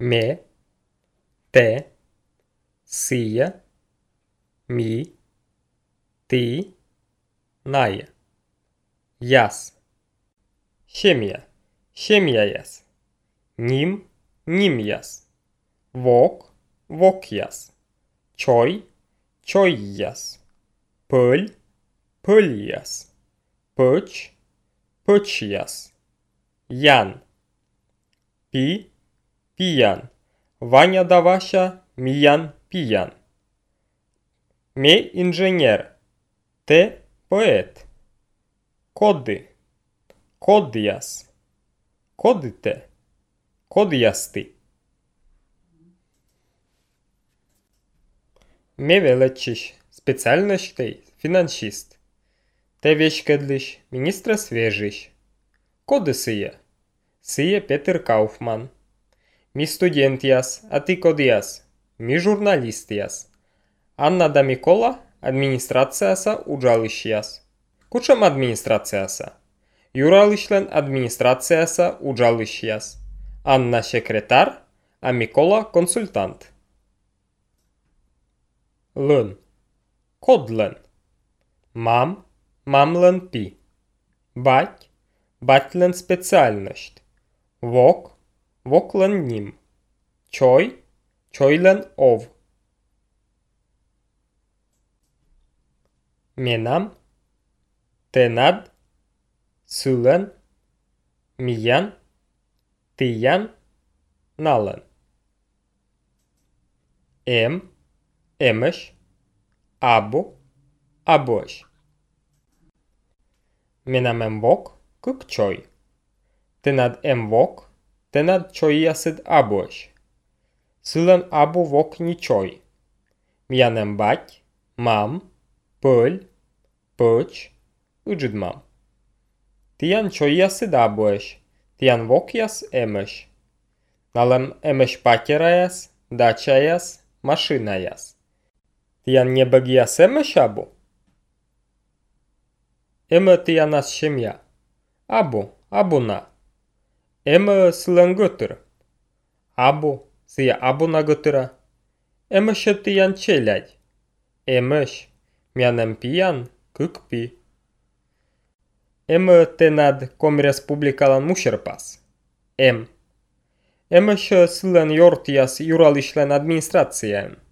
me, te, sija, mi, ti, naja. Jas. Šemija, šemijajas. Njim, njimjas. Vok, vokjas. Čoj, čojjas. Păļ, păļjas. Păci, păčjas. Jan. Pi, pijan. Vania da Vașa, Mian, pijan. Me, inženier. Te, poet. Kody, kodjas. Kodite, kodjasti. Me величиш специальностей финансист. Те вещкедлиш министра свежиш. Коды сия? Сия Петер Кауфман. Mi studentias, a ti kodias. Mi žurnalistias. Anna da Mikola administrациаса uđališjas. Kučam administrациаса? Jurališlen administrациаса uđališjas. Anna sekretar, a Mikola konsultant. Lân. Kodlen. Mam, mamlen pi. Bать, батлен специальность. Вок, воклен ним. Чой, чойлен ов. Менам, тенад, сулен, миян, тиян, нален. Емеш, абу, абош. Менам вок, кук чой. Тенад вок, тенад чойясид абош. Сулен абу вок ни чой. Миян бать, мам, пăļ, păci, îģidmam. Tijan čojjasid aboš, tijan vokjas emeš. Nalem emeš pakerajas, dačajas, mašinajas. Tijan nebagijas emeš abu? Emă tijanas šemja. Abuna. Emă sılân götür. Sija abuna götüra. Emăşă tijan çeljaj. Emăş. Mianem pijan, kuk pi. Tenad kom respublikalan mušerpas. Emășă sılân yortijas juralişlen administrațijen.